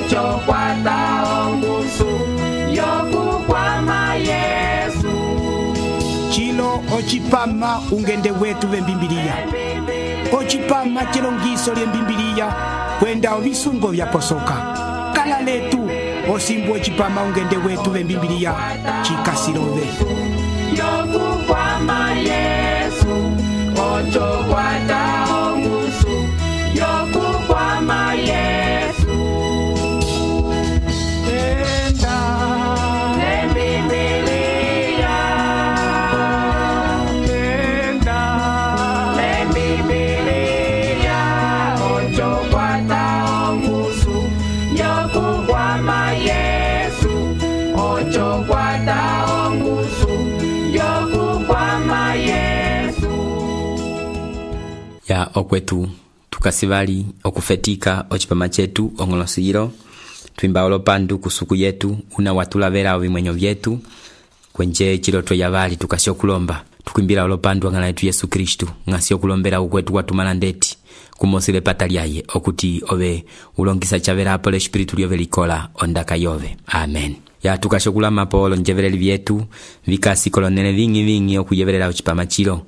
ocho kwata ongusu yokukwama Yesu. Chilo ochipama ungende wetu vembimbiliya. Ochipama chilongiso lyembimbiliya kwenda ovisungo vyaposoka. Kala letu osimbu ochipama ungende wetu vembimbiliya chikasilove. Yokukwama Yesu, ocho kwata ongusu yokukwama Yesu. Enda lembimbiliya, enda lembimbiliya, ocho kwata ongusu yokukwama Yesu, ocho kwata ongusu yokukwama Yesu. Ya okwetu tukasivali okufetika ochipama chetu ongolosiro twimba olopandu kusuku yetu una watulavera ovimwenyo vyetu kwenje chiloto yavali tukasio kulomba tukwimbira olopandu angala yetu Yesu Kristu ngasio kulombera ukwetu watumana ndeti kumosile patalyaye okuti ove ulongisa chavera apole espiritu lyove likola ondaka yove. Amen. Ya tukashokula mapolo njevereli vyetu vikasi kolonele vingi okuyeverela ochipama chilo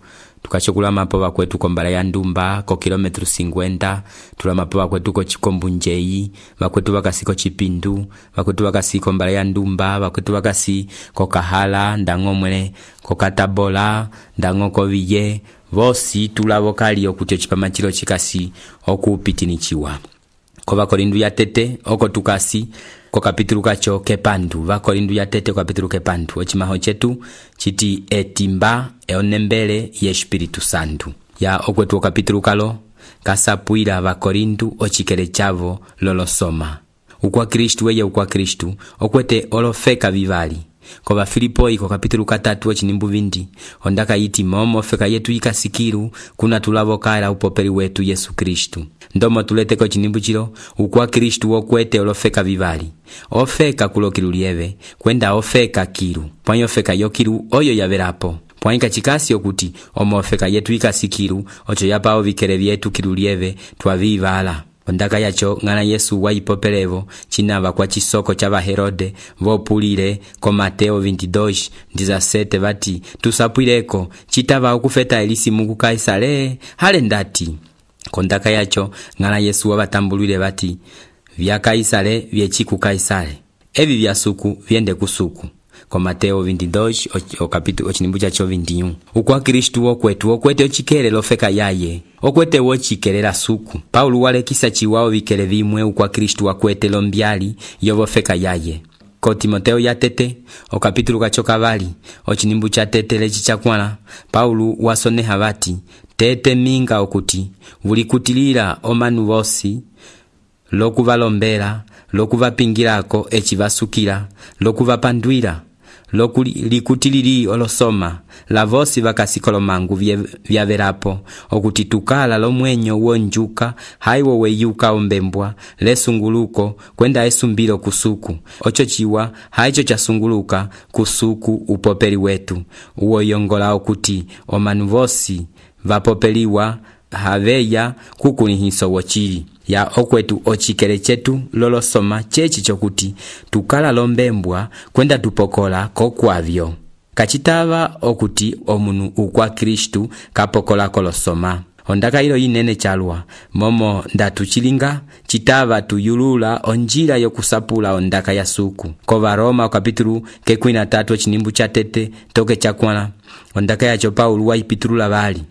tukachokula mapo bakwetu kombala ya ndumba ko kilometro 50 tula mapo bakwetu ko chikombu njei bakwetu bakasiko chipindu bakwetu bakasiko mbala ya ndumba bakwetu bakasi ko kahala ndangomwele ko katabola ndangoko viye vosi tulavo kali okuti ochipama chilo chikasi okupitinichiwa ko bakorindu ya tete oko tukasi ko kapitulu kacho kepandu bakorindu ya tete ko kapitulu kepandu ochimaho chetu chiti etimba eonembele ye Espiritu Santu. Ya okwetu kapitulu kalo kasapuira bakorindu ochikele chavo lolosoma ukwa Kristu weye ukwa Kristu okwete olofeka vivali ko ba Filipoi ko kapitulu 3 ochinimbu vindi ondaka yiti momo feka yetu ikasikiru kuna tulavokala upopeli wetu Yesu Kristu ndomo tuleteko chinimbu chilo ukwa Kristu okwete olofeka vivali ofeka kulokilulieve kwenda ofeka kiru pwanyo feka yokiru oyo yaverapo pwanika chikasi okuti omofeka yetu ikasikiru ocho yapao vikele vyetu kilulieve twavivala ondaka yacho ngana Yesu waipopelevo chinava kwa chisoko chava Herode vopulile ko Mateo 22:17 vati tusapwileko chitava okufeta elisimu ku Kaisale hale ndati kondaka yacho ngana Yesu wabatambulile vati vya Kaisale vyechi ku Kaisale evi vya suku viende kusuku ko Mateo 22 okapitulu ochinimbu chacho 21 ukwa Kristu okwetu okwete ochikele lofeka yaye okwete wochikelera suku Paulo walekisa chiwao vikele vimwe ukwa Kristu wakwete lombyali yovofeka yaye ko Timoteo ya tete okapitulu kacho kavali ochinimbu cha tete lechi chakwala Paulo wasoneha vati tete minga okuti vulikutilira omanu vosi lokuvalombera lokuvapingirako echivasukira lokuvapandwira likutiliri olosoma lavosi vakasikolo mangu vyaverapo okuti tukala lomwenyo wonjuka haiwo weyuka ombembwa lesunguluko kwenda esumbilo kusuku ocho chiwa haicho chasunguluka kusuku upopeli wetu uwo yongola okuti omanu vosi vapopeliwa haveya kukunihiso wochili ya okwetu ochikele chetu lolosoma chechi chokuti tukala lombembwa kwenda tupokola kokwavyo kachitava okuti omunu ukwa Kristu kapokola kolosoma ondaka ilo inene chalwa momo ndatuchilinga chitava tuyulula onjila yokusapula ondaka ya suku ko Varoma kapitulu kekwina 3 chinimbu cha tete toke chakwala ondaka yacho Paulo waipitulula bali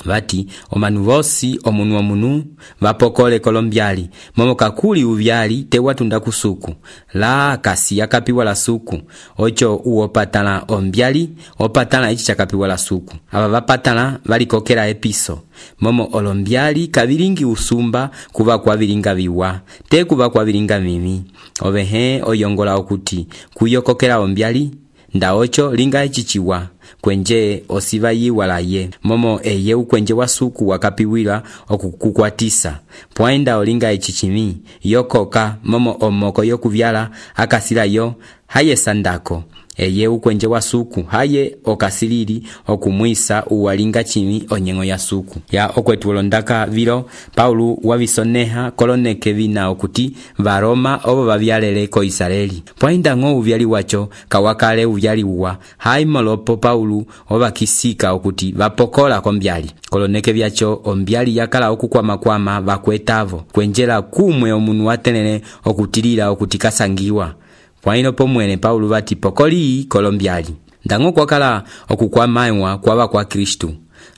vati omanu vosi omunu vapokole kolombyali momo kakuli uvyali tewatunda kusuku la kasi yakapiwa la suku ocho uopatala ombyali opatala ichi chakapiwa la suku ava vapatala valikokela episo momo olombyali kavilingi usumba kuva kwa vilinga viwa te kuva kwa vilinga mimi ovehe oyongola okuti kuyokokela ombyali nda ocho linga echichiwa kwenje osiva yiwalaye momo eye ukwenje wasuku wakapiwila okukukwatisa pwaenda olinga echichimi yokoka momo omoko yokuvyala akasila yo haye sandako eye ukwenje wa suku haye okasilili okumwisa uwalinga chimi onyengo ya suku ya okwetu olondaka vilo Paulo wavisoneha koloneke vina okuti varoma obo bavyalele ko Israeli pwainda ngo uvyali wacho kawakale uvyali uwa hai molopo Paulo obakisika okuti vapokola kombyali koloneke vyacho ombyali yakala okukwama bakwetavo kwenjela kumwe omunu watenene okutilila okutikasangiwa pwaino pomwene Paulo vati pokoli kolombyali ndango kwakala okukwamaiwa kwaba kwa Kristu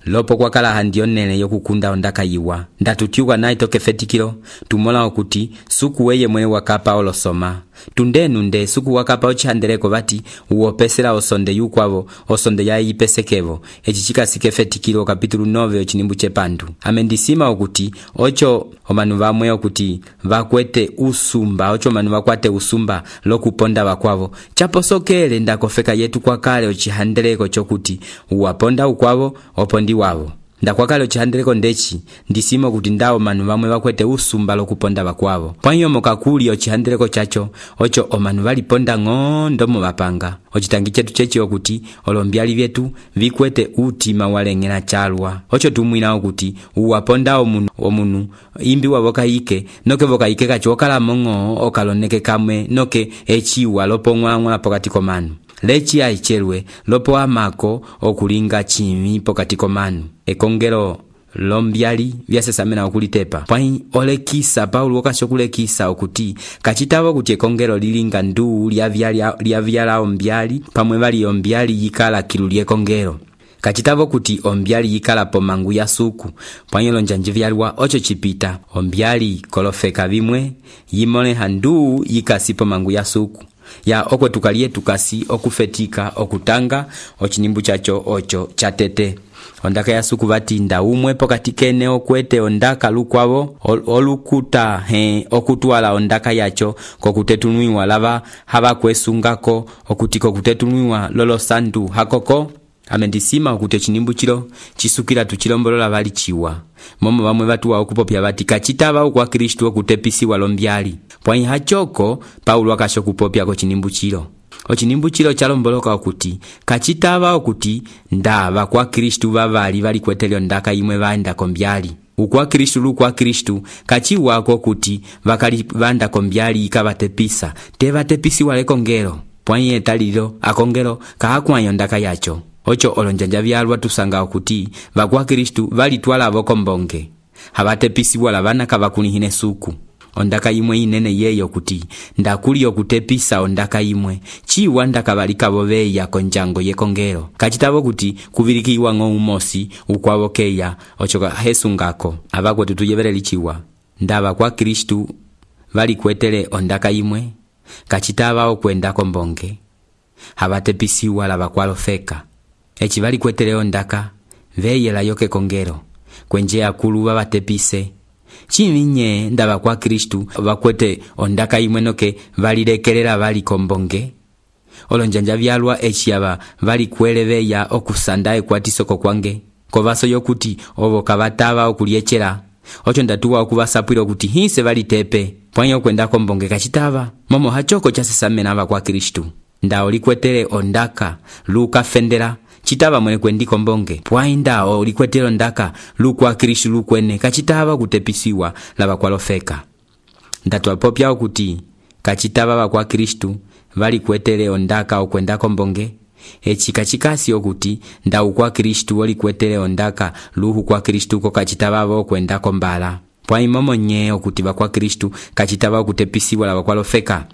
lopo kwakala handionene yokukunda ondaka yiwa ndatutiuka naye tokefetikilo tumola okuti suku weye mwene wakapa olosoma tundenunde suku wakapa ochihandeleko bati uopesela osonde yukwavo osonde ya ipesekevo echichika sikefetikilo kapitulu 9 ochinimbu chepandu amendisima okuti ocho omanu vamwe okuti vakwete usumba ocho manu vakwate usumba lokuponda bakwavo chaposokele ndakofeka yetu kwakale ochihandeleko chokuti uwaponda ukwavo opondi wavo ndakwakale ochihandeleko ndechi ndisima kuti ndawo manu vamwe vakwete usumba lokuponda bakwavo pwanyo mokakuli ochihandeleko chacho ocho omanu valiponda ng'ondo mu bapanga ochitangi chetu chechi okuti olombyali vyetu vikwete utima walengela chalwa ocho tumwina okuti uwaponda omunu imbi wavokayike noke vokayike kacho okala mongo okaloneke kamwe noke echiwa lopong'wang'ola pokati komanu lechi aichelwe lopo amako okulinga chimi pokati komanu ekongelo lombyali vyasesamena okulitepa pwai olekisa Paulo okashokulekisa okuti kachitavo kuti ekongelo lilinga nduu lyavyala ombyali pamwe vali ombyali yikala kilu lyekongelo kachitavo kuti ombyali yikala pomangu ya suku pwai lonjanji vyalwa ocho chipita ombyali kolofeka vimwe yimole handuu yikasi pomangu ya suku ya okwe tukalie tukasi okufetika okutanga ochinimbu chacho ocho chatete ondaka ya suku vati nda umwe pokati kene okwete ondaka lukwavo olukuta okutwala ondaka yacho kokutetunwiwa lava hava kwesungako okuti kokutetunwiwa lolo sandu hakoko amendisima okuti ochinimbu chilo chisukila tuchilombolola vali chiwa momo vamwe vatuwa okupopya vati kachitava ukwa Kristu okutepisiwa lombyali pwai hachoko Paulo akashokupopya kochinimbu chilo ochinimbu chilo chalomboloka okuti kachitava okuti ndava kwa Kristu vavali valikwetele ondaka imwe vaenda kombyali ukwa Kristu lukwa Kristu kachiwako okuti vakali vanda kombyali ikavatepisa tevatepisiwa lekongelo pwai etalilo akongelo kahakwanyo ondaka yacho ocho olonjanja vyalwa tusanga okuti vakwa Kristu valitwala vokombonge havatepisiwa lavana kavakunihine suku ondaka imwe inene yeyo kuti ndakuli okutepisa ondaka imwe chiwa ndakavalika voveya konjango yekongelo kachitavo kuti kuvilikiwa ng'oumosi ukwavo keya ocho hesungako avakwetu tuyevereli chiwa ndava kwa Kristu valikwetele ondaka imwe kachitava okwenda kombonge havatepisiwa lavakwalofeka echi valikwetele ondaka veyela yoke kongelo kwenje akulu vavatepise chiminye ndava kwa Kristu vakwete ondaka imwe noke valilekelela vali kombonge olonjanja vyalwa echiava valikweleveya okusanda ekwatisoko kwange kovaso yokuti ovo kavatava okuliechela ocho ndatuwa okuvasapwila okuti hise valitepe pwanyo kwenda kombonge kachitava momo hachoko chasesamena va kwa Kristu nda olikwetele ondaka lukafendela chitava mwene kwendi kombonge pwainda olikwetele ondaka lukwa Kristu lukwene kachitava kutepisiwa lava kwalofeka ndatwapopya okuti kachitava vakwa Kristu valikwetele ondaka okwenda kombonge echi kachikasi okuti nda ukwa Kristu olikwetele ondaka luhu kwa Kristu ko kachitava okwenda kombala pwai momonye okuti vakwa Kristu kachitava okutepisiwa lava kwalofeka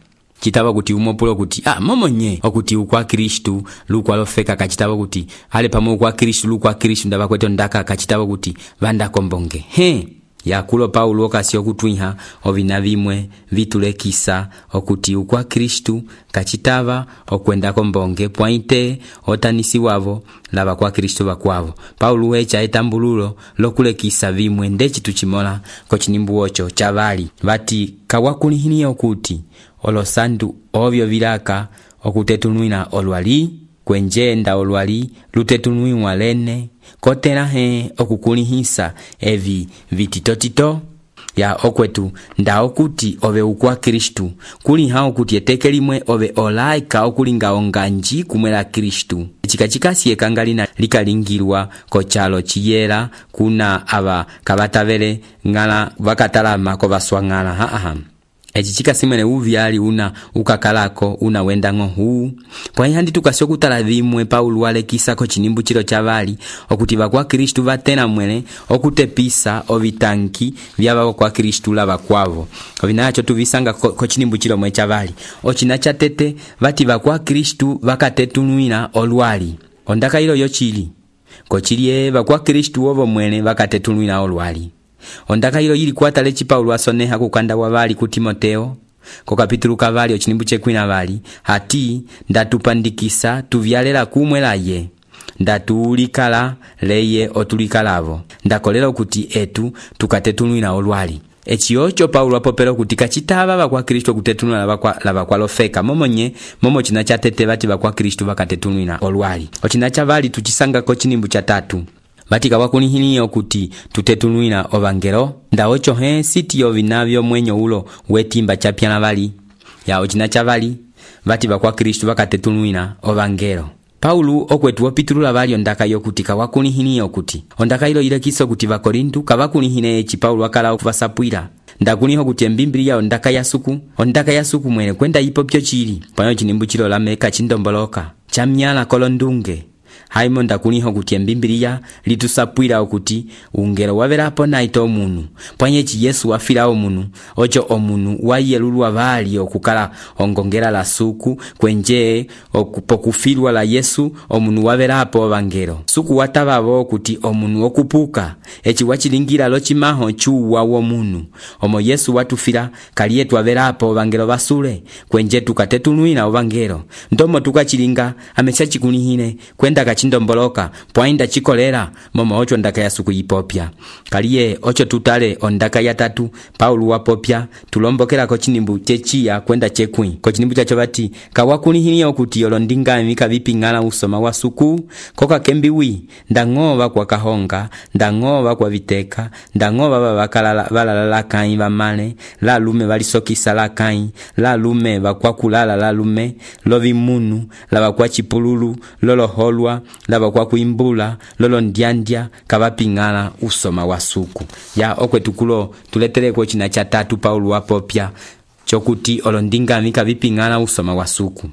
chitava kuti umopulo kuti momonye okuti ukwa Kristu lukwalofeka kachitava kuti ale pamwe ukwa Kristu lukwa Kristu ndava kwete ondaka kachitava kuti vanda kombonge yakulo Paulo okasi okutwiha ovina vimwe vitulekisa okuti ukwa Kristu kachitava okwenda kombonge pwaite otanisi wavo lava kwa Kristu vakwavo Paulo wecha etambululo lokulekisa vimwe ndechi tuchimola kochinimbu ocho chavali vati kawakulihini okuti olosandu ovyo vilaka okutetunwina olwali kwenjenda olwali lutetunwiwa lene kotela okukulihisa evi vititotito ya okwetu nda okuti ove ukwa Kristu kuli ha okuti eteke limwe ove olaika okulinga onganji kumwe la Kristu. Chika chikasi ekangalina likalingirwa kochalo chiyela kuna aba kabatavele ngala vakatalama ko baswangala echi chikasimene uvyali una ukakalako una wendango huu pwa handi tukasyo kutala vimwe Paulo walekisa ko chinimbu chilo chavali okuti bakwa Kristu vatena mwene okutepisa ovitanki vyaba kwa Kristu lava kwavo ovinacho tuvisanga ko chinimbu chilo mwe chavali ochina chatete vati bakwa Kristu vakatetunwina olwali ondaka ilo yochili kochilie bakwa Kristu ovo mwene vakatetunwina olwali ondaka ilo yili kwatale chi Paulo asoneha kukanda wavali ku Timoteo ko kapitulu kavali ochinimbu chekwina vali hati ndatupandikisa tuvyalela kumwe laye ndatuulikala leye otulikalavo ndakolela okuti etu tukatetunwina olwali echiyocho Paulo apopela kuti kachitava bakwa Kristu kutetunwina lava kwa lofeka momo china chatete vati bakwa Kristu vakatetunwina olwali ochina chavali tuchisanga ko chinimbu cha 3 batika wakunihiniyo kuti tutetunwina ovangelo ndaocho sitiyo vinavyo mwenyo ulo wetimba chapyana vali ya ochina chavali vati bakwa Kristu vakatetunwina ovangelo. Paulo okwetu wopitulula vali ondaka yokuti kawakunihiniyo kuti ondaka ilo ilekiso kuti vakorintu kawakunihine echi Paulo wakala okuvasapwira ndakuniho kuti embimbili ondaka ya suku mwene kwenda ipo pyo chili panyo chinimbu chilo lameka chindomboloka chamnyala kolondunge haimo ndakuniho kuti embimbiliya litusapwira okuti ungelo waverapo naito omunu pwanyechi Yesu wafira omunu ocho omunu wayelulwa vali okukala ongongera la suku kwenje okupokufirwa la Yesu omunu waverapo ovangelo suku watavavo okuti omunu okupuka echi wachilingira lochimaho chuwa womunu omo Yesu watufira kaliye twaverapo ovangelo vasule kwenje tukatetunwina ovangelo ndomo tukachilinga amecha chikunihine kwenda kachindomboloka pwainda chikolera momo ocho ndaka ya suku yipopya kaliye ocho tutale ondaka ya 3 Paulo wapopya tulombokera ko chinimbu chechiya kwenda chekwi ko chinimbu chacho bati kawakunihiniyo okuti olondinga mika vipingala usoma wa suku koka kembiwi ndangova kwa kahonga ndangova kwa viteka ndangova babakala balala kai bamale la lume balisokisa la kai la lume bakwa kulala la lume lovi munu la bakwa chipululu lolo holwa laba kwa kuimbula lolo ndiandya kabapingala usoma wa suku ya okwetukulo tuletere ko china cha 3 Paulo wapopya chokuti olondinga mika vipingala usoma wa suku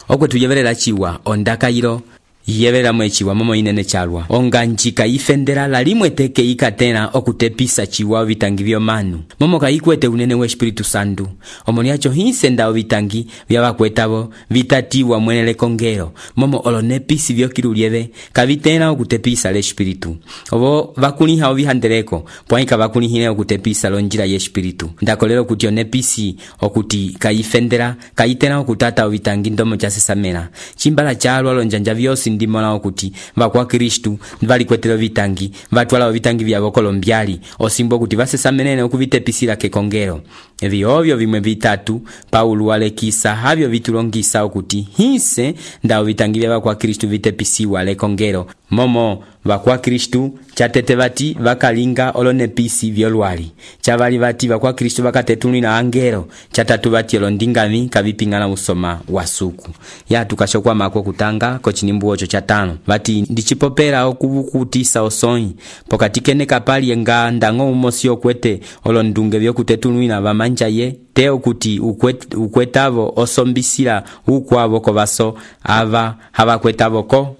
okwetu yeverera chiwa ondaka ilo yevera mwechiwa momo inene chalwa onganjika ifendera la limwe teke ikatena okutepisa chiwa vitangi vyo manu momo kaikwete unene we Espiritu Santu omoni acho hinsenda ovitangi vyabakwetavo vitatiwa mwenele kongero momo olonepisi vyokirulieve kavitena okutepisa le Espiritu obo vakuniha ovihandereko pwaika vakunihine okutepisa lonjira ye Espiritu ndakolero kuti onepisi okuti kaifendera kaitena okutata ovitangi ndomo chasesamena chimbala chalwa lonjanja vyosi ndimola okuti bakwa Kristu valikwetelo vitangi vatwala vitangi vyabo kolombyali osimbo kuti vasesamenene okuvitepisira kekongero evyovyo vimwe vitatu Paulo walekisa havyo vitulongisa okuti hinse ndao vitangi vyabakwa Kristu vitepisiwa lekongero momo bakwa Kristu chatete vati vakalinga olonepisi vyolwali chavali vati bakwa Kristu vakatetunwina angelo chatatu vati olondingami kavipingana usoma wa suku ya tukashokwa mako kutanga ko chinimbu ocho cha 5 vati ndichipopera okuvukutisa osoi pokatikene kapali nga ndango umosio kwete olondunge vyokutetunwina vamanja ye teo kuti ukwetavo osombisira ukwavo kovaso ava havakwetavo ko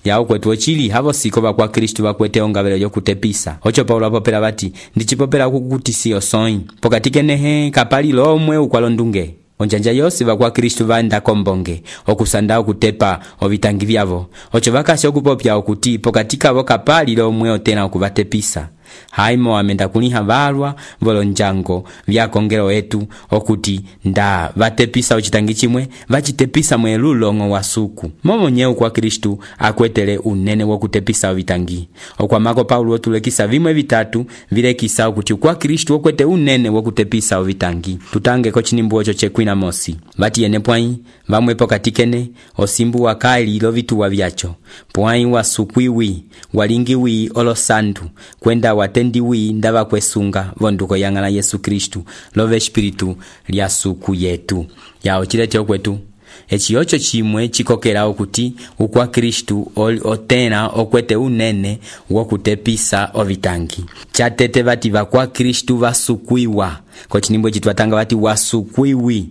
ya okwetu ochili havo siko bakwa Kristu bakwete ongabelo yokutepisa ocho Paulo apopera bati ndichipopera kukutisi osoi pokatikene kapali lomwe ukwalondunge onjanja yosi bakwa Kristu vanda kombonge okusanda okutepa ovitangi vyavo ocho vakasi okupopya okuti pokatika vo kapali lomwe otena okuvatepisa haimo amenda kuniha valwa volonjango vyakongero etu okuti nda vatepisa ochitangi chimwe vachitepisa mwelulongo wa suku momo nyeu kwa Kristu akwetele unene wokutepisa ovitangi okwamako Paulo otulekisa vimwe vitatu vilekisa okuti kwa Kristu okwete unene wokutepisa ovitangi tutange ko chinimbu ocho chekwina mosi vati ene pwai vamwe pokatikene osimbu wakaili lovituwa vyacho pwai wa sukwiwi walingiwi olosandu kwenda watendiwi ndava kwesunga vonduko yang'ala Yesu Kristu love espiritu lya suku yetu yao chilete okwetu eci ocho chimwe chikokela okuti ukwa Kristu otena okwete unene wokutepisa ovitangi chatete vati vakwa Kristu vasukwiwa ko chinimbo chitwatanga vati wasukwiwi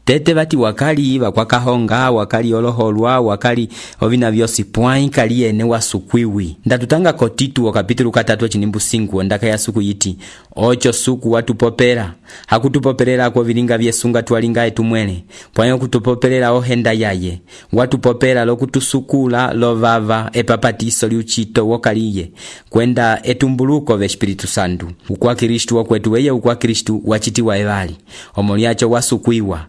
tete vati wakali vakwa kahonga wakali oloholwa wakali ovina vyosi pwai kali ene wasukwiwi ndatutanga ko Tito kapitulu 3 chinimbu 5 ndaka ya suku yiti ocho suku watupopera hakutupoperera ko vilinga vyesunga twalinga etumwele pwai okutupoperera ohenda yaye watupopera lokutusukula lovava epapatiso liuchito wokaliye kwenda etumbuluko ve Espiritu Santu ukwa Kristu okwetu weye ukwa Kristu wachitiwa evali omoliacho wasukwiwa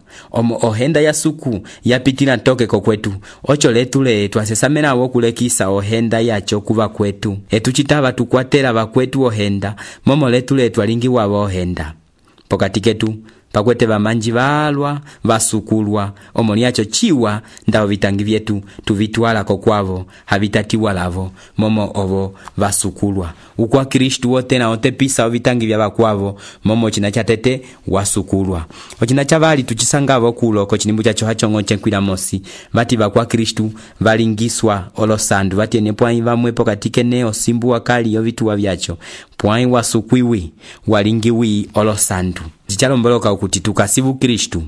ohenda ya suku yapitila toke kokwetu ocho letule twasesamena wokulekisa ohenda yacho kuva kwetu etuchitava tukwatela vakwetu ohenda momo letule twalingiwa ohenda pokati ketu pakwete vamanji valwa vasukulwa omoliacho chiwa ndao vitangi vyetu tuvitwala kokwavo havitatiwa lavo momo ovo vasukulwa ukwa Kristu wotena otepisa ovitangi vya vakwavo momo china chatete wasukulwa ochina chavali tuchisangavo kulo ko chinimbu chacho hachongo chenkwila mosi vati vakwa Kristu valingiswa olosandu vati ene pwai vamwe pokati kene osimbu wakali ovituwa vyacho pwai wasukwiwi walingiwi olosandu chichalomboloka ukuti tukasivu Kristu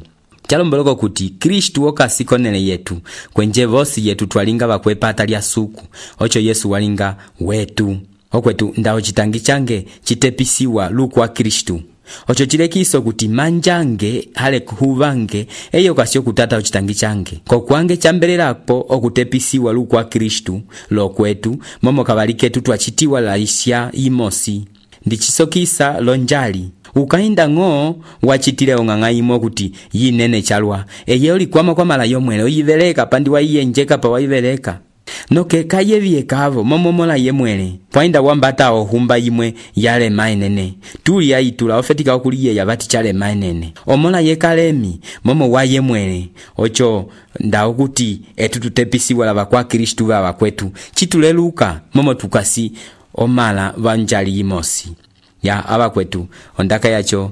chalomboloka kuti Kristu okasikonele yetu kwenje vosi yetu twalinga vakwepata lya suku ocho Yesu walinga wetu okwetu ndao chitangi change chitepisiwa lukwa Kristu ocho chilekiso kuti manjange hale kuhuvange eyo kasio kutata uchitangi change kokwange chambelelapo okutepisiwa lukwa Kristu lokwetu momo kavaliketu twachitiwa laisya imosi ndichisokisa lonjali ukainda ng'o wachitile ong'ang'aimo kuti yinene chalwa eye ulikwama kwa mala yomwele uyiveleka pandi waiyenjeka pa waiveleka noke kayevye kavo momomola yemwele pwainda wambata ohumba yimwe yale mainene tuli yaitula ofetika okuliye yabati chale mainene omola yekalemi momo wa yemwele ocho ndao kuti etutepisiwa lava kwa Kristu vava kwetu chituleluka momo tukasi omala vanjali imosi ya aba kwetu ondaka yacho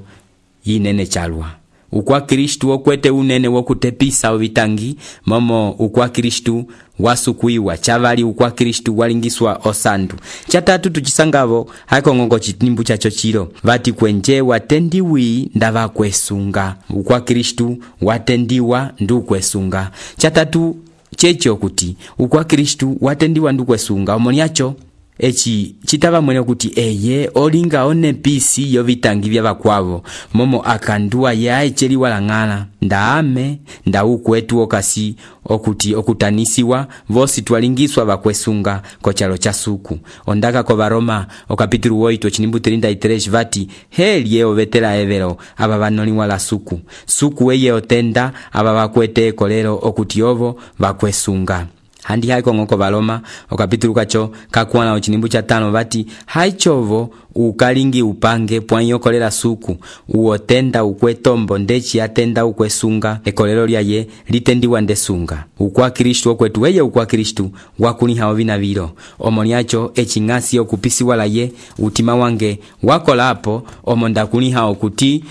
yinene chalwa ukwa Kristu okwete unene wokutepisa ovitangi momo ukwa Kristu wasukwiwa chavali ukwa Kristu walingiswa osandu chatatu tuchisangavo hakongongo chitimbu chacho chilo vati kwenje watendiwi ndava kwesunga ukwa Kristu watendiwa ndu kwesunga chatatu checho kuti ukwa Kristu watendiwa ndu kwesunga omoniacho echi chitava mwene kuti eye olinga one pisi yovitangi vya vakwavo momo akandua yae cheli walang'ala ndaame ndaukwetu okasi okuti okutanisiwa vosi twalingiswa vakwesunga kochalo cha suku ondaka ko Varoma okapitulu 8 chinimbu 33 vati heli yeo vetela evelo aba vanoliwa la suku weye otenda aba vakwete kolero okuti ovo vakwesunga handi haiko ngoko Varoma okapitulu kacho kakwana ochinimbu cha 5 vati haichovo ukalingi upange pwanyo kolera suku uotenda ukwetombo ndechi atenda ukwesunga ekolero lyaye litendiwa ndesunga ukwa Kristu okwetu weye ukwa Kristu wakuniha ovina vilo omoniacho echingasi okupisiwa laye utima wange wakolapo omonda kuniha okuti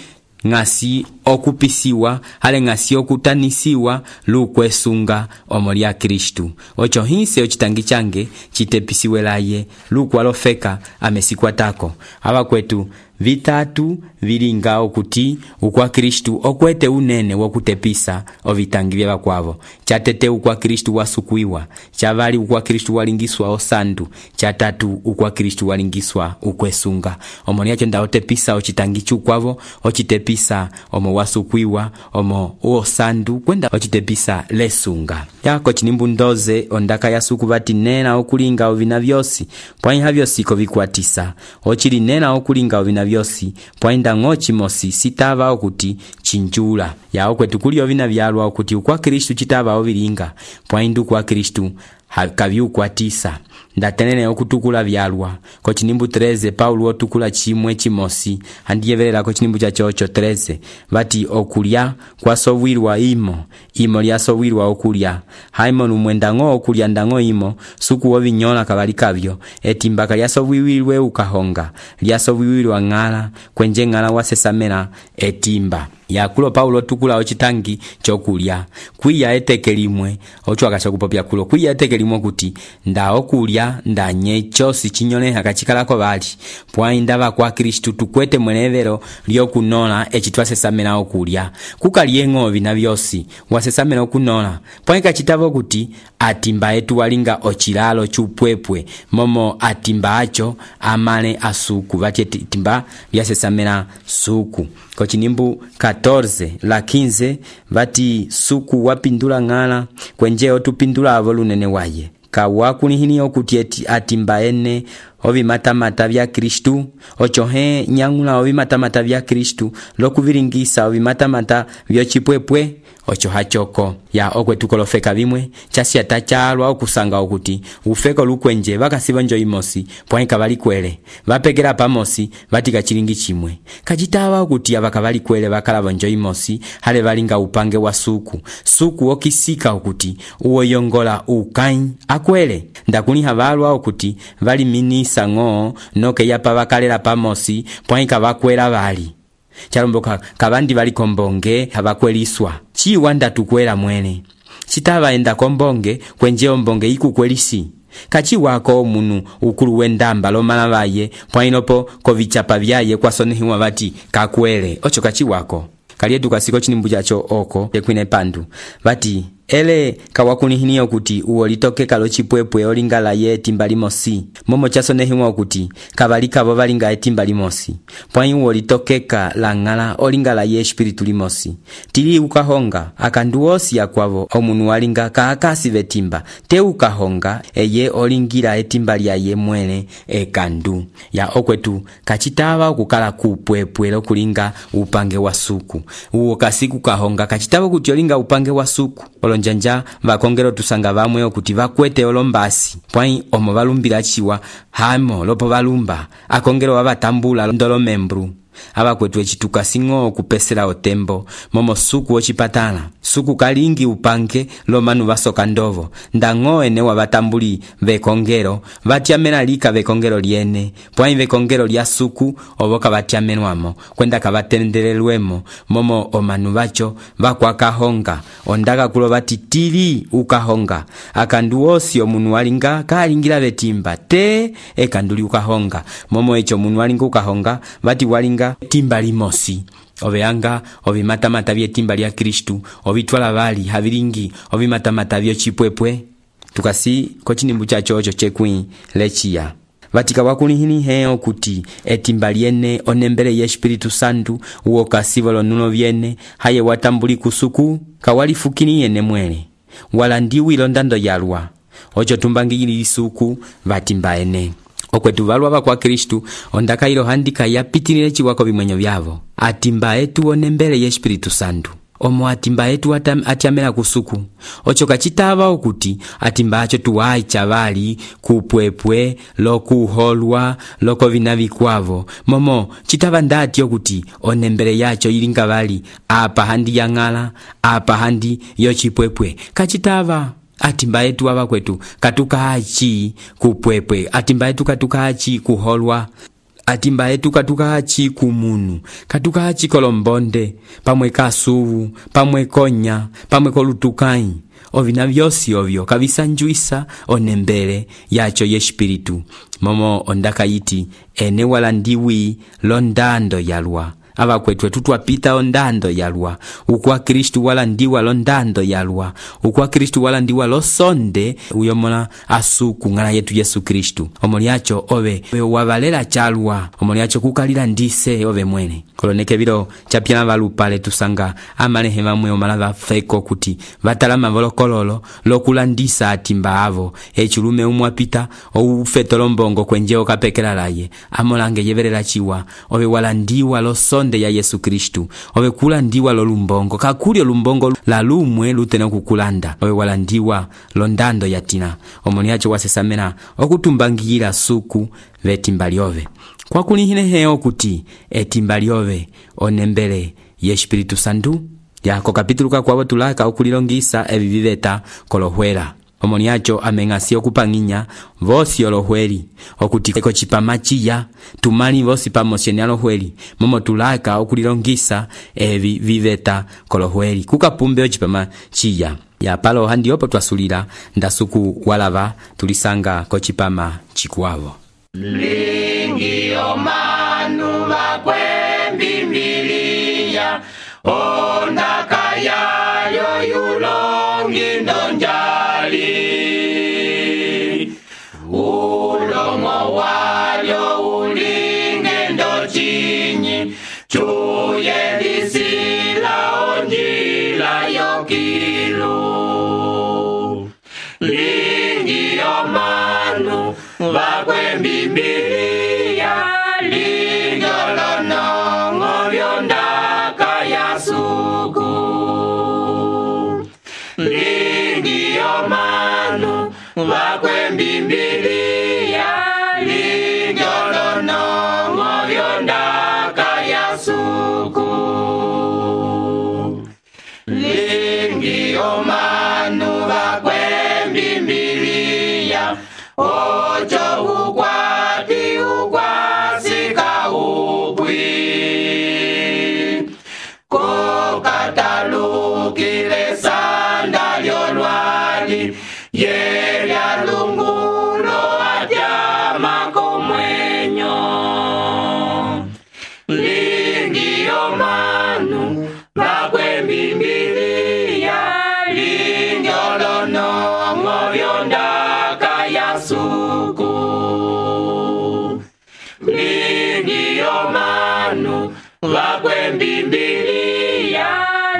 ngasi okupisiwa hale ngasi okutanisiwa lukwesunga omolya Kristu ocho hinse ochitangi change chitepisiwe laye lukwalofeka amesikwatako aba kwetu vitatu vilinga okuti ukwa Kristu okwete unene wokutepisa ovitangi vya vakwavo chatete ukwa Kristu wasukwiwa chavali ukwa Kristu walingiswa osandu chatatu ukwa Kristu walingiswa ukwesunga omoniacho ndaotepisa ochitangi chukwavo ochitepisa omo wasukwiwa omo osandu kwenda ochitepisa lesunga yako chinimbu 12 ondaka ya suku vati nena okulinga ovina vyosi pwaiha vyosi kovikwatisa ochili nena okulinga ovina vyosi pwainda ngochi mosi sitava okuti chinjula yao kwetu kuli ovina vyalwa okuti ukwa Kristu chitava ovilinga pwaindu kwa Kristu kaviukwatisa ndatenene okutukula vyalwa. Ko chinimbu 13 Paulo otukula chimwe chimosi andiyevelela ko chinimbu cha chocho 13 vati okulya kwasowirwa imo lyasowirwa okulya haimo lumwendango okulya ndango imo suku wovinyola kavali kavyo etimbaka lyasowirwe ukahonga lyasowirwa ng'ala kwenje ng'ala wasesamela etimba yakulo Paulo tukula ochitangi chokulya kwiya eteke limwe ochwaka chakupopya kulo kwiya eteke limwe kuti nda okulya ndanye chosi chinyole akachikalako bali pwainda bakwa Kristu tukwete mwenevero lyokunola echitwasesamela okulya kukalyengo bina byosi wasesamela okunola pwaika chitavo kuti atimba etu walinga ochilalo chupwepwe momo atimba acho amale asuku vati timba lyasesamela suku ko chinimbu 14 la 15 vati suku wapindula ng'ala kwenje otupindula avo lunene waye kawakunihini okuti atimba ene ovimatamata vya Kristu ochohe nyangula ovimatamata vya Kristu lokuviringisa ovimatamata vyochipwepwe ocho hachoko ya okwetukolofeka vimwe chasi tachalwa okusanga okuti ufeko lukwenje vakasiva njo imosi pwaika valikwele vapekera pamosi vatika chilingi chimwe kachitava okuti avakavalikwele vakalava njo imosi hale valinga upange wa suku okisika okuti uwoyongola ukai akwele ndakuniha valwa okuti vali minisa ng'o noke yapa vakalela pamosi pwaika vakwela vali chalomboka kavandi vali kombonge havakweliswa chiwa ndatukwela mwene chitava enda kombonge kwenje ombonge ikukwelisi kachiwako munu ukulu wendamba lomala vaye pwainopo kovichapa vyaye kwasonehiwa vati kakwele ocho kachiwako kalietu kasiko chinimbu chacho oko ekwine pandu vati ele kawakunihini okuti uwo litoke kalo chipwepwe olingala ye etimba limosi momo chasonehiwa okuti kavalika vo valinga etimba limosi pwai uwo litokeka la ng'ala olingala ye espiritu limosi tili ukahonga akandu osi akwavo omunu walinga kaakasi vetimba te ukahonga eye olingira etimba lya ye mwene ekandu ya okwetu kachitava okukala kupwepwe lokulinga upange wa suku uwo kasiku kahonga kachitava kuti olinga upange wa suku olonjanja vakongero tusanga vamwe okuti vakwete olombasi pwai omo valumbila chiwa hamo lopo valumba akongero wavatambula ndolo membru avakwetu echituka singo kupesela otembo momo suku ochipatala suku kalingi upange lomanu vasoka ndovo ndango ene wavatambuli vekongero vatiamena lika vekongero liene pwai vekongero lya suku ovoka vatiamenwamo kwenda kavatendelelwemo momo omanu vacho vakwakahonga ondaka kulo vati tili ukahonga akandu osi omunu walinga kalingila vetimba te ekanduli ukahonga momo echo munu walinga ukahonga vati walinga timba limosi oveanga ovimatamata vyetimba lya Kristu ovitwala vali havilingi ovimatamata vyochipwepwe tukasi ko chinimbu chacho ocho chekwi lechiya vatika wakunihini heo kuti etimba liene onembele ye Espiritu Santu uwo kasivo lonuno vyene haye watambuli kusuku kawalifukini yene mwele wala ndiwi londando yalwa ocho tumbangili lisuku vatimba ene okwetu valwa vakwa Kristu ondaka ilo handika yapitilile chiwako vimwenyo vyavo atimba etu onembele ye Espiritu Santu omo atimba etu atiamela kusuku ocho kachitava okuti atimba acho tuwai chavali kupwepwe lokuholwa loko vinavikwavo momo chitava ndati okuti onembele yacho ilinga vali apa handi ya ng'ala apa handi yochipwepwe kachitava atimba etu ava kwetu katukachi kupwepwe atimba etu katukachi kuholwa atimba etu katukachi kumunu katukachi kolombonde pamwe kasuvu pamwe konya pamwe kolutukai ovina vyosi ovyo kavisanjuisa onembele yacho ye Espiritu momo ondaka yiti ene wala ndiwi londando yalwa ava kwetu tutwapita ondando yalwa ukwa Kristu wala ndiwa londando yalwa ukwa Kristu wala ndiwa losonde uyomona asuku ngala yetu Yesu Kristu omoliacho ove wavalela chalwa omoliacho kukalila ndise ove mwene koloneke vilo chapyana valupale tusanga amalehe vamwe omalava feko kuti vatalama volokololo lokulandisa atimba avo echulume umwapita ufetolombongo kwenje okapekela laye amolange yevelela chiwa ove wala ndiwa losonde londe ya Yesu Kristu ove kulandiwa lolumbongo kakuli olumbongo la lumwe lutena kukulanda ove walandiwa londando yatina omoni yacho wasesamena okutumbangira suku vetimba lyove kwakuli hineheo kuti etimba lyove onembele ye Espiritu Santu yako kapitulu kakwavo tulaka okulilongisa evi viveta kolohwela omoni yacho ameng'asi okupang'inya vosi olohweli okuti eko chipama chiya tumali vosi pamosyeni alohweli momo tulaka okulilongisa evi viveta kolohweli kukapumbe ochipama chiya ya palo handi opo twasulila ndasuku walava tulisanga kochipama chikwavo lingi omanu bakwembimbiliya ondaka yayo yulongi ndonjali ulomo walyo ulinge ndochinyi chuye lisila onjila yokilu lingi omanu bakwembimbiliya linjolonongo byondaka yasuku lingi omanu bakwembimbiliya linjolonongo byondaka yasuku lingi omanu bakwembimbiliya ocho ukwati ukwasika upwi kokatalukile sanda lyolwali yelya lungulo atyama komwenyo lingi omanu bakwembimbiliya linjolonongo byondaka yasuku lingi omanu bakwembimbiliya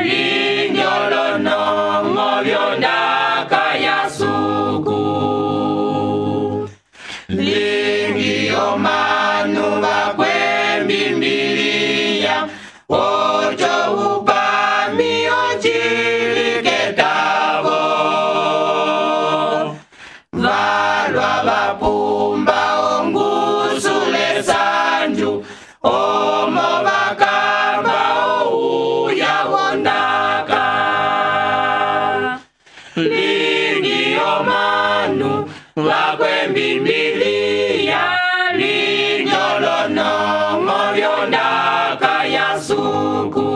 linjolonongo byondaka yasuku lingi omanu bakwembimbiliya ocho upami ochiliketavo valwa vapumba ongusule sanju omo bakamba ouya wondaka lingi omanu bakwembimbiliya linjolonongo byondaka yasuku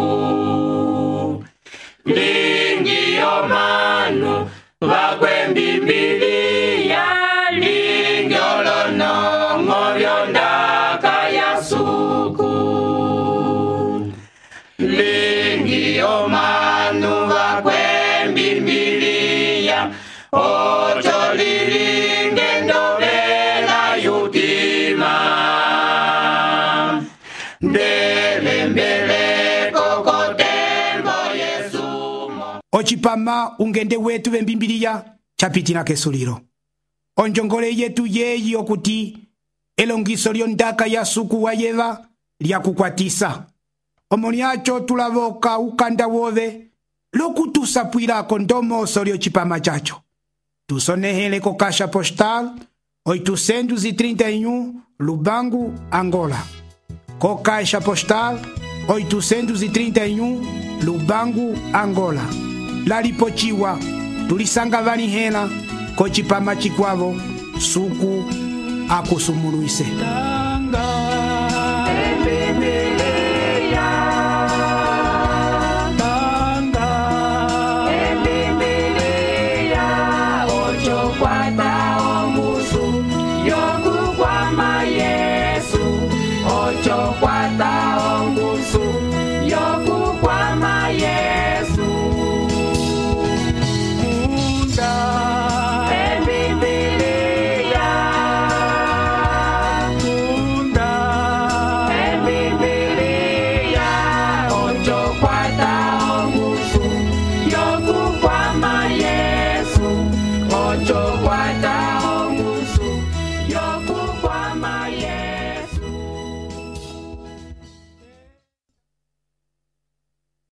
lingi omanu bakwembimbiliya linjolonongo byondaka yasuku lingi omanu bakwembimbiliya ocho lilinge ndovela yutima ndelembeleko kotembo yesumo ochipama ungende wetu vembimbiliya chapitina kesulilo onjongole yetu yeyi okuti elongiso lyondaka yasuku wayeva lyakukwatisa omoni acho tulavoka ukanda wove lokutusapwilako ndomoso lyocipama chacho tusonehele ko caixa postal 831 Lubango, Angola. Co caixa postal 831 Lubango, Angola. Lalipochiwa tulisanga vanihela ko chipama chikwavo suku akusumuluise.